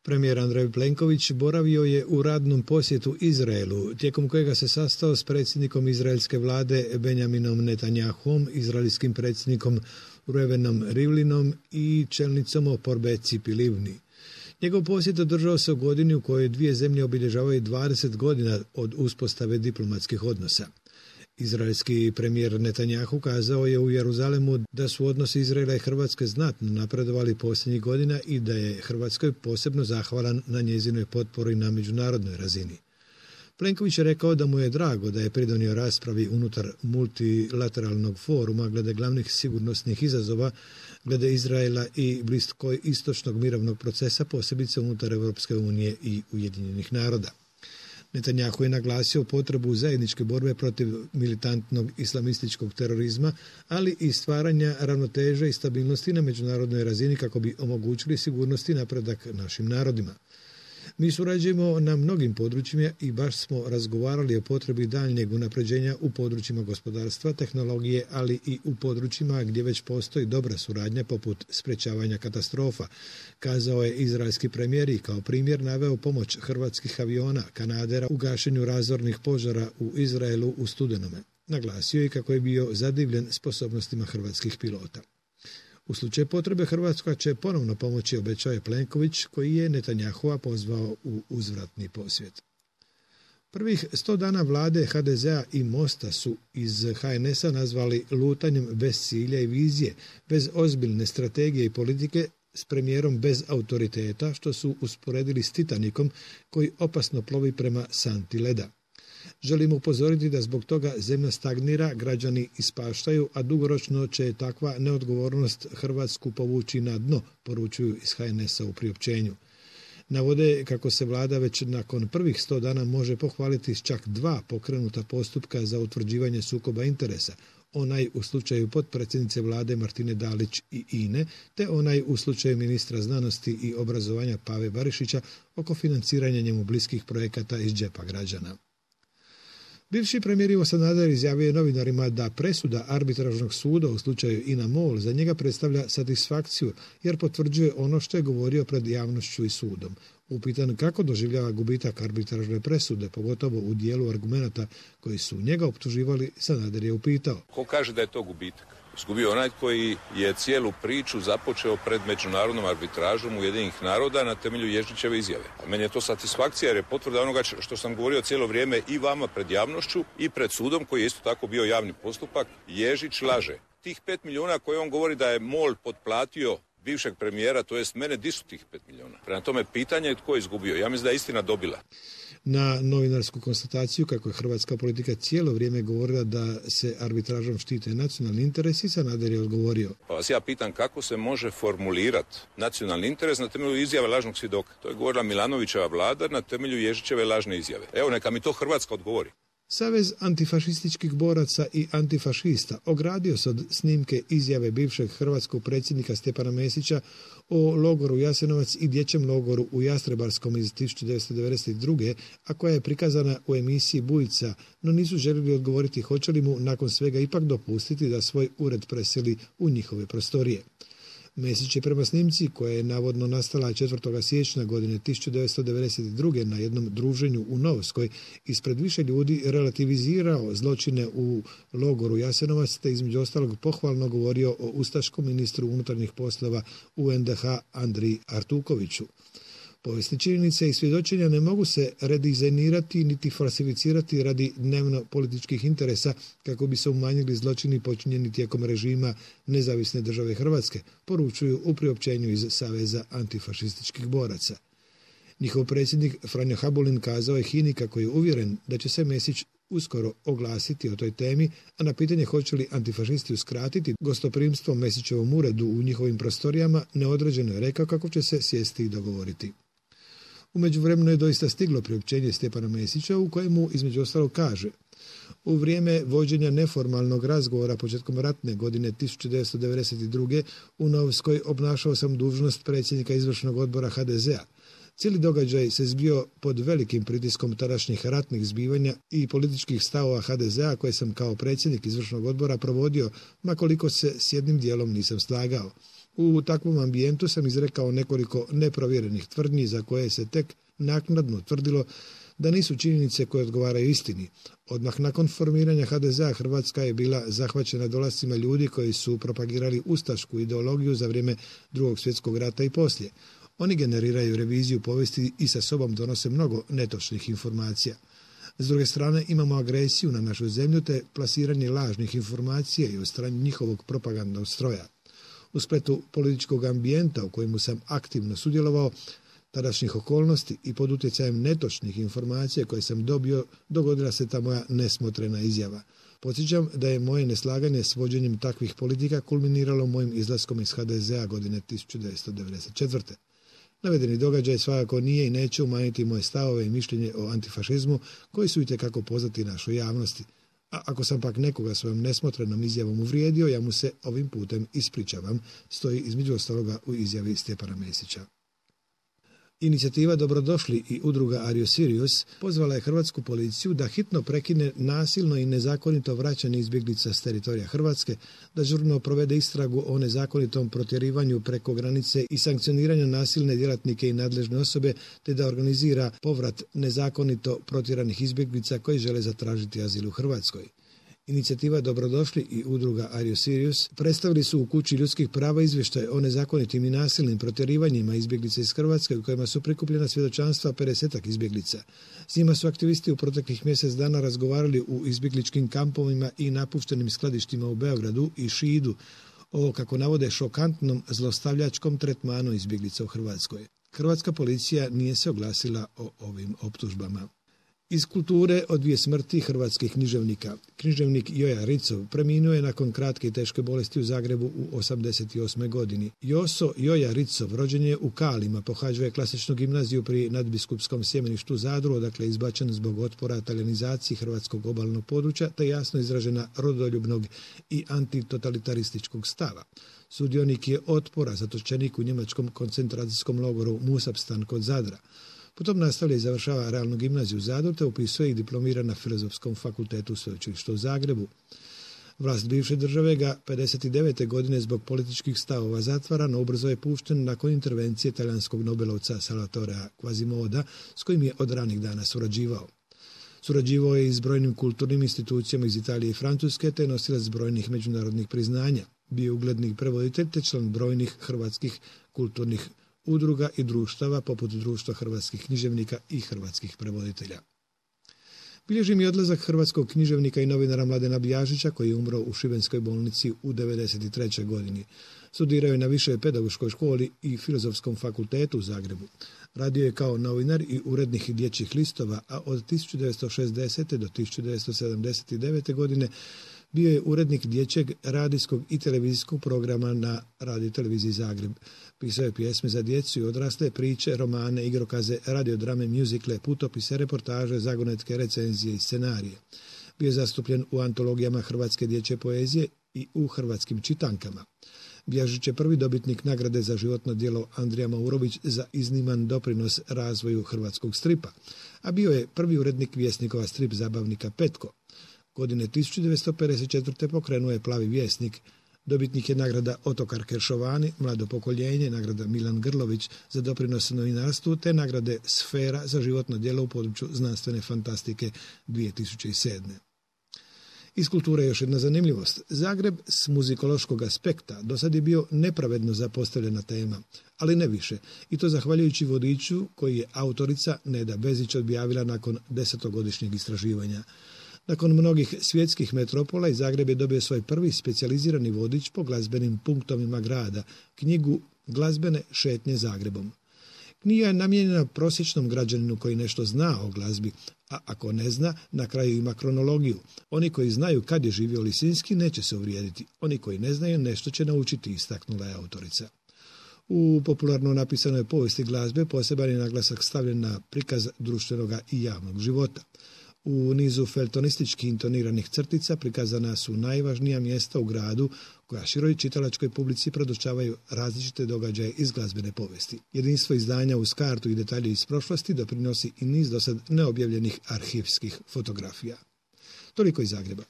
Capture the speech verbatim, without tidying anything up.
Premijer Andrej Plenković boravio je u radnom posjetu Izraelu, tijekom kojega se sastao s predsjednikom izraelske vlade Benjaminom Netanjahom, izraelskim predsjednikom Reuvenom Rivlinom i čelnicom oporbe Cipi Livni. Njegov posjet održao se u godini u kojoj dvije zemlje obilježavaju dvadeset godina od uspostave diplomatskih odnosa. Izraelski premijer Netanjahu kazao je u Jeruzalemu da su odnosi Izraela i Hrvatske znatno napredovali posljednjih godina i da je Hrvatskoj posebno zahvalan na njezinoj potpori na međunarodnoj razini. Plenković je rekao da mu je drago da je pridonio raspravi unutar multilateralnog foruma glede glavnih sigurnosnih izazova glede Izraela i bliskoistočnog mirovnog procesa, posebice unutar Europske unije i Ujedinjenih naroda. Netanjahu je naglasio potrebu zajedničke borbe protiv militantnog islamističkog terorizma, ali i stvaranja ravnoteže i stabilnosti na međunarodnoj razini kako bi omogućili sigurnost i napredak našim narodima. Mi surađujemo na mnogim područjima i baš smo razgovarali o potrebi daljnjeg unapređenja u područjima gospodarstva, tehnologije, ali i u područjima gdje već postoji dobra suradnja poput sprečavanja katastrofa, kazao je izraelski premijer i kao primjer naveo pomoć hrvatskih aviona Kanadera u gašenju razornih požara u Izraelu u studenome. Naglasio je kako je bio zadivljen sposobnostima hrvatskih pilota. U slučaju potrebe Hrvatska će ponovno pomoći, obećao je Plenković, koji je Netanjahua pozvao u uzvratni posjet. Prvih sto dana vlade ha de zea i Mosta su iz ha en es a nazvali lutanjem bez cilja i vizije, bez ozbiljne strategije i politike, s premijerom bez autoriteta, što su usporedili s Titanikom koji opasno plovi prema santi leda. Želimo upozoriti da zbog toga zemlja stagnira, građani ispaštaju, a dugoročno će takva neodgovornost Hrvatsku povući na dno, poručuju iz ha en es a u priopćenju. Navode kako se vlada već nakon prvih sto dana može pohvaliti s čak dva pokrenuta postupka za utvrđivanje sukoba interesa, onaj u slučaju potpredsjednice vlade Martine Dalić i Ine, te onaj u slučaju ministra znanosti i obrazovanja Pave Barišića oko financiranja njemu bliskih projekata iz džepa građana. Bivši premijer Ivo Sanader izjavio je novinarima da presuda arbitražnog suda u slučaju INA MOL za njega predstavlja satisfakciju jer potvrđuje ono što je govorio pred javnošću i sudom. Upitan kako doživljava gubitak arbitražne presude, pogotovo u dijelu argumenata koji su njega optuživali, Sanader je upitao. Ko kaže da je to gubitak? Izgubio onaj koji je cijelu priču započeo pred međunarodnom arbitražom Ujedinjenih naroda na temelju Ježićeve izjave. A meni je to satisfakcija jer je potvrda onoga što sam govorio cijelo vrijeme i vama pred javnošću i pred sudom koji je isto tako bio javni postupak. Ježić laže. Tih pet milijuna koje on govori da je MOL potplatio bivšeg premijera, to jest mene, di su tih pet milijuna? Prema tome pitanje je tko je izgubio. Ja mislim da je istina dobila. Na novinarsku konstataciju kako je hrvatska politika cijelo vrijeme govorila da se arbitražom štite nacionalni interesi, Sanader je odgovorio. Pa vas ja pitam kako se može formulirati nacionalni interes na temelju izjave lažnog svjedoka. To je govorila Milanovićeva vlada na temelju Ježićeve lažne izjave. Evo neka mi to Hrvatska odgovori. Savez antifašističkih boraca i antifašista ogradio se od snimke izjave bivšeg hrvatskog predsjednika Stjepana Mesića o logoru Jasenovac i dječjem logoru u Jastrebarskom iz tisuću devetsto devedeset druge. a koja je prikazana u emisiji Bujica, no nisu željeli odgovoriti hoće li mu nakon svega ipak dopustiti da svoj ured preseli u njihove prostorije. Mesić je prema snimci, koja je navodno nastala četvrtog siječnja godine tisuću devetsto devedeset druge. na jednom druženju u Novskoj, ispred više ljudi relativizirao zločine u logoru Jasenovac, te između ostalog pohvalno govorio o ustaškom ministru unutarnjih poslova u en de ha Andriji Artukoviću. Povijesne činjenice i svjedočenja ne mogu se redizajnirati niti falsificirati radi dnevno političkih interesa kako bi se umanjili zločini počinjeni tijekom režima Nezavisne države Hrvatske, poručuju u priopćenju iz Saveza antifašističkih boraca. Njihov predsjednik Franjo Habulin kazao je HINA-i kako je uvjeren da će se Mesić uskoro oglasiti o toj temi, a na pitanje hoće li antifašisti uskratiti gostoprimstvo Mesićevom uredu u njihovim prostorijama, neodređeno je rekao kako će se sjesti i dogovoriti. U međuvremenu je doista stiglo priopćenje Stjepana Mesića u kojemu između ostalog kaže: u vrijeme vođenja neformalnog razgovora početkom ratne godine tisuću devetsto devedeset druge. u Novskoj obnašao sam dužnost predsjednika izvršnog odbora ha de zea. Cijeli događaj se zbio pod velikim pritiskom tadašnjih ratnih zbivanja i političkih stavova ha de zea koje sam kao predsjednik izvršnog odbora provodio, ma koliko se s jednim dijelom nisam slagao. U takvom ambijentu sam izrekao nekoliko neprovjerenih tvrdnji za koje se tek naknadno tvrdilo da nisu činjenice koje odgovaraju istini. Odmah nakon formiranja ha de zea Hrvatska je bila zahvaćena dolascima ljudi koji su propagirali ustašku ideologiju za vrijeme Drugog svjetskog rata i poslije. Oni generiraju reviziju povijesti i sa sobom donose mnogo netočnih informacija. S druge strane, imamo agresiju na našu zemlju te plasiranje lažnih informacija i od strane njihovog propagandnog stroja. U spletu političkog ambijenta u kojemu sam aktivno sudjelovao, tadašnjih okolnosti i pod utjecajem netočnih informacija koje sam dobio, dogodila se ta moja nesmotrena izjava. Podsjećam da je moje neslaganje s vođenjem takvih politika kulminiralo mojim izlaskom iz ha de zea godine tisuću devetsto devedeset četvrte. Navedeni događaj svakako nije i neće umanjiti moje stavove i mišljenje o antifašizmu koji su itekako poznati našoj javnosti. A ako sam pak nekoga svojom nesmotrenom izjavom uvrijedio, ja mu se ovim putem ispričavam, stoji između ostaloga u izjavi Stjepana Mesića. Inicijativa Dobrodošli i udruga Ario Sirius pozvala je hrvatsku policiju da hitno prekine nasilno i nezakonito vraćanje izbjeglica s teritorija Hrvatske, da žurno provede istragu o nezakonitom protjerivanju preko granice i sankcioniranju nasilne djelatnike i nadležne osobe, te da organizira povrat nezakonito protjeranih izbjeglica koji žele zatražiti azil u Hrvatskoj. Inicijativa Dobrodošli i udruga Ario Sirius predstavili su u Kući ljudskih prava izvještaj o nezakonitim i nasilnim protjerivanjima izbjeglica iz Hrvatske u kojima su prikupljena svjedočanstva pedesetak izbjeglica. S njima su aktivisti u proteklih mjesec dana razgovarali u izbjegličkim kampovima i napuštenim skladištima u Beogradu i Šidu o, kako navode, šokantnom zlostavljačkom tretmanu izbjeglica u Hrvatskoj. Hrvatska policija nije se oglasila o ovim optužbama. Iz kulture od dvije smrti hrvatskih književnika. Književnik Joja Ricov preminuo je nakon kratke i teške bolesti u Zagrebu u osamdeset osmoj godini. Joso Joja Ricov rođen je u Kalima, pohađao je klasičnu gimnaziju pri nadbiskupskom sjemeništu Zadru, odakle je izbačen zbog otpora talijanizaciji hrvatskog obalnog područja, te jasno izražena rodoljubnog i antitotalitarističkog stava. Sudionik je otpora, zatočenik u njemačkom koncentracijskom logoru Musabstan kod Zadra. Potom nastavlja i završava realnu gimnaziju u Zadru, te upisuje i diplomira na Filozofskom fakultetu u Sveučilištu u Zagrebu. Vlast bivše države ga pedeset devete godine zbog političkih stavova zatvara, no ubrzo je pušten nakon intervencije talijanskog nobelovca Salvatorea Quasimoda, s kojim je od ranih dana surađivao. Surađivao je i s brojnim kulturnim institucijama iz Italije i Francuske, te nosilac brojnih međunarodnih priznanja. Bio ugledni prevoditelj te član brojnih hrvatskih kulturnih udruga i društava poput Društva hrvatskih književnika i hrvatskih prevoditelja. Bilježi mi odlazak hrvatskog književnika i novinara Mladena Bjažića, koji je umro u Šibenskoj bolnici u devedeset trećoj godini. Studirao je na Višoj pedagoškoj školi i Filozofskom fakultetu u Zagrebu. Radio je kao novinar i urednik dječjih listova, a od tisuću devetsto šezdesete do tisuću devetsto sedamdeset devete godine bio je urednik dječjeg radijskog i televizijskog programa na Radio televiziji Zagreb. Pisao je pjesme za djecu i odrasle, priče, romane, igrokaze, radiodrame, mjuzikle, putopise, reportaže, zagonetke, recenzije i scenarije. Bio je zastupljen u antologijama hrvatske dječje poezije i u hrvatskim čitankama. Bjažić je prvi dobitnik nagrade za životno djelo Andrija Maurović za izniman doprinos razvoju hrvatskog stripa, a bio je prvi urednik Vjesnikova strip zabavnika Petko. Godine tisuću devetsto pedeset četvrte pokrenuo je Plavi vjesnik. Dobitnik je nagrada Otokar Keršovani, Mlado pokoljenje, nagrada Milan Grlović za doprinos novinarstvu, te nagrade Sfera za životno djelo u području znanstvene fantastike dvije tisuće sedme. Iz kulture još jedna zanimljivost. Zagreb s muzikološkog aspekta do sad je bio nepravedno zapostavljena tema, ali ne više. I to zahvaljujući vodiču koji je autorica Neda Bezić objavila nakon desetogodišnjeg istraživanja. Nakon mnogih svjetskih metropola i Zagreb je dobio svoj prvi specijalizirani vodič po glazbenim punktovima grada, knjigu Glazbene šetnje Zagrebom. Knjiga je namijenjena prosječnom građaninu koji nešto zna o glazbi, a ako ne zna, na kraju ima kronologiju. Oni koji znaju kad je živio Lisinski neće se uvrijediti, oni koji ne znaju nešto će naučiti, istaknula je autorica. U popularno napisanoj povijesti glazbe poseban je naglasak stavljen na prikaz društvenog i javnog života. U nizu feltonistički intoniranih crtica prikazana su najvažnija mjesta u gradu koja široj čitalačkoj publici predočavaju različite događaje iz glazbene povijesti. Jedinstvo izdanja uz kartu i detalje iz prošlosti doprinosi i niz dosad neobjavljenih arhivskih fotografija. Toliko iz Zagreba.